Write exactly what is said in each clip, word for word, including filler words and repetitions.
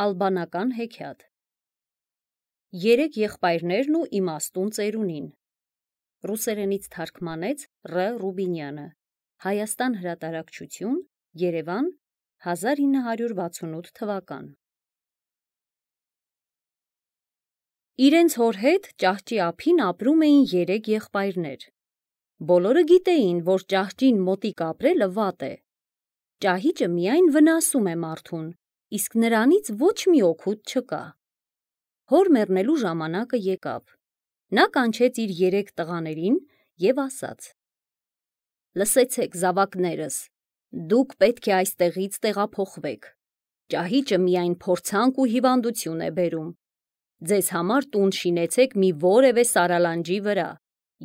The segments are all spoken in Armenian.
Ալբանական հեքիաթ Երեք եղբայրներն ու իմաստուն ծերունին Ռուսերենից թարգմանեց Ռ. Ռուբինյանը Հայաստան հրատարակչություն Երևան հազար ինը հարյուր վաթսունութ թվական Իրենց հոր հետ ճահճի ափին ապրում էին երեք եղբայրներ Բոլորը գիտեին, որ ճահճին մոտիկ ապրելը վատ է Ճահիճը միայն վնասում է մարդուն Իսկ նրանից ոչ մի օգուտ չկա Հոր մեռնելու ժամանակը եկավ Նա կանչեց իր երեք տղաներին և ասաց Լսեցեք զավակներս Դուք պետք է այստեղից տեղափոխվեք Ճահիճը միայն փորձանք ու հիվանդություն է բերում Ձեզ համար տուն շինեցեք մի որևէ սարալանջի վրա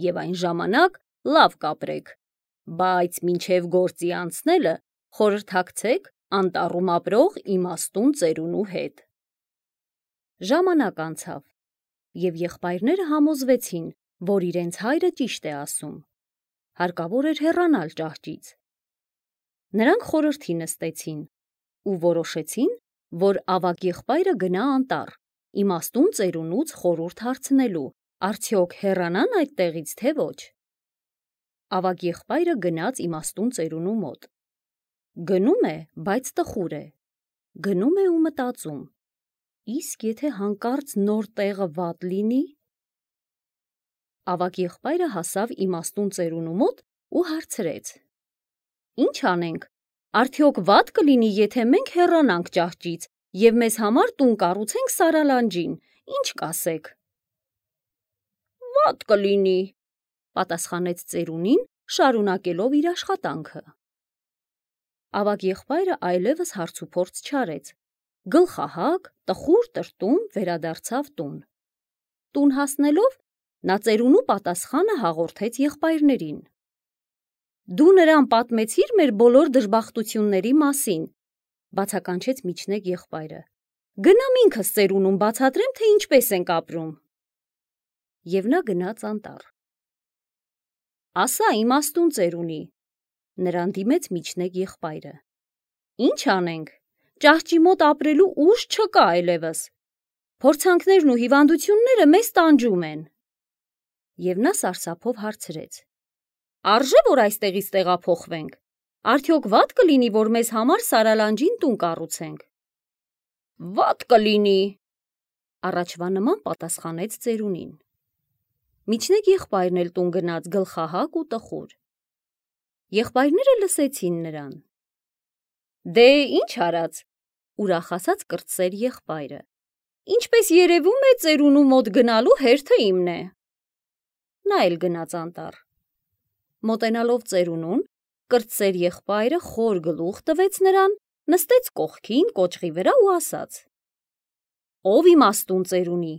և այն ժամանակ լավ կապրեք Բայց մինչև գործի անցնելը խորհրդակցեք անտառում ապրող իմաստուն ծերունու հետ Ժամանակ անցավ և եղբայրները համոզվեցին, որ իրենց հայրը ճիշտ է ասում Հարկավոր էր հեռանալ ճահճից Նրանք խորհրդի նստեցին ու որոշեցին, որ ավագ եղբայրը գնա անտառ իմաստուն ծերունուց խորհուրդ հարցնելու արդյոք հեռանան այդտեղից թե ոչ Ավագ եղբայրը գնաց իմաստուն ծերունու մոտ Գնում է, բայց տխուր է Գնում է ու մտածում Իսկ եթե հանկարծ նոր տեղը վատ լինի Ավագ եղբայրը հասավ իմաստուն ծերունու մոտ ու հարցրեց Ինչ անենք, արդյոք վատ կլինի, եթե մենք հեռանանք ճահճից և մեզ համար տուն կառուցենք սարալանջին, ինչ կասեք Վատ կլինի, պատասխանեց ծերունին, շարունակելով իր աշխատանքը Ավագ եղբայրը այլևս հարցուփորձ չարեց Գլխահակ, տխուր տրտում վերադարձավ տուն Տուն հասնելով նա ծերունու պատասխանը հաղորդեց եղբայրներին Դու նրան պատմեցիր մեր բոլոր դժբախտությունների մասին բացականչեց միջնեկ եղբայրը Գնամ ինքս ծերունուն բացատրեմ, թե ինչպես ենք ապրում Եվ նա գնաց անտառ Ասա իմաստուն ծերունի Նրան դիմեց միջնեկ եղբայրը Ինչ անենք, ճահճի մոտ ապրելու ուժ չկա այլևս Փորձանքներն ու հիվանդությունները մեզ տանջում են Եվ նա սարսափով հարցրեց Արժե՞ որ այստեղից տեղափոխվենք Արդյոք վատ կլինի, որ մեզ համար սարալանջին տուն կառուցենք Վատ կլինի Առաջվա նման պատասխանեց ծերունին Միջնեկ եղբայրն էլ տուն գնաց գլխահակ ու տխուր Եղբայրները լսեցին նրան Դե ինչ արած ուրախացած կրտսեր եղբայրը Ինչպես երևում է ծերունու մոտ գնալու հերթը իմն է Նա էլ գնաց անտառ Մոտենալով ծերունուն կրտսեր եղբայրը խոր գլուխ տվեց նրան նստեց կողքին կոճղի վրա ու ասաց Ով իմաստուն ծերունի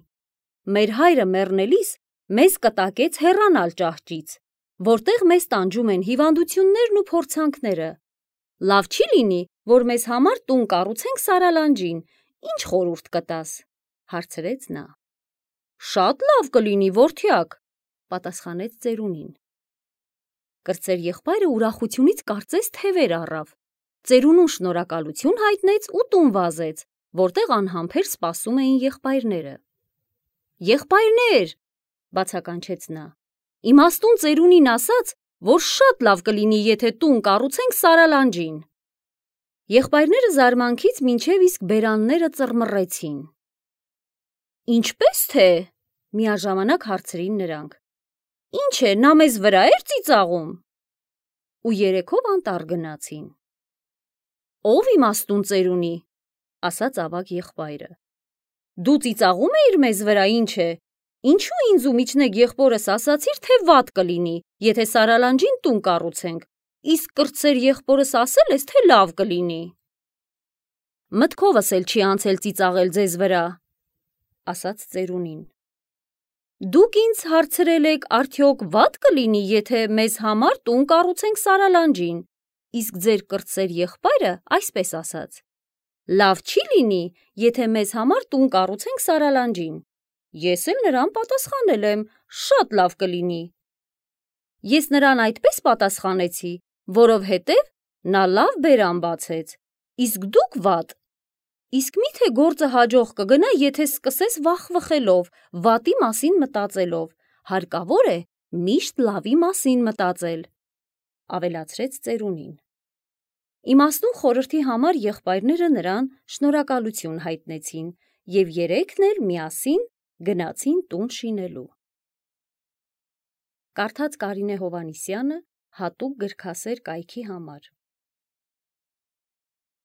Մեր հայրը մեռնելիս մեզ կտակեց հեռանալ ճահճից Որտեղ մեզ տանջում են հիվանդություններն ու փորձանքները Լավ չի լինի, որ մեզ համար տուն կառուցենք սարալանջին Ինչ խորհուրդ կտաս հարցրեց նա Շատ լավ կլինի, որդյակ պատասխանեց ծերունին Կրտսեր եղբայրը ուրախությունից կարծես թևեր առավ Ծերունուն շնորհակալություն հայտնեց ու տուն վազեց Որտեղ անհամբեր սպասում էին եղբայրները Եղբայրներ բացականչեց նա Իմաստուն ծերունին ասաց, որ շատ լավ կլինի, եթե տուն կառուցենք սարալանջին Եղբայրները զարմանքից մինչև իսկ բերանները ծռմռեցին Ինչպե՞ս թե միաժամանակ հարցրին նրանք Ինչ է, նա մեզ վրա էր ծիծաղում Ու երեքով անտառ գնացին Ով իմաստուն ծերունի ասաց ավագ եղբայրը Դու ծիծաղում էիր մեզ վրա, ինչ է Ինչու ինձ ու միջնեկ եղբորս ասացիր, թե վատ կլինի, եթե սարալանջին տուն կառուցենք, իսկ կրտսեր եղբորս ասել ես, թե լավ կլինի Մտքովս էլ չի անցել ծիծաղել ձեզ վրա, ասաց ծերունին Դուք ինձ հարցրել եք, արդյոք վատ կլինի, եթե մեզ համար տուն կառուցենք սարալանջին, իսկ ձեր կրտսեր եղբայրը այսպես ասաց Լավ չի լինի, եթե մեզ համար տուն կառուցենք սարալանջին Ես էլ նրան պատասխանել եմ, շատ լավ կլինի Ես նրան այդպես պատասխանեցի, որովհետև նա լավ բերան բացեց, իսկ դուք վատ Իսկ միթե գործը հաջող կգնա, եթե սկսես վախվխելով, վատի մասին մտածելով, հարկավոր է միշտ լավի մասին մտածել, ավելացրեց ծերունին։ Իմաստուն խորհրդի համար եղբայրները նրան շնորհակալություն հայտնեցին և երեքն էլ միասին գնացին տուն շինելու։ Կարդաց Կարինե Հովհաննիսյանը հատուկ գրքասեր կայքի համար։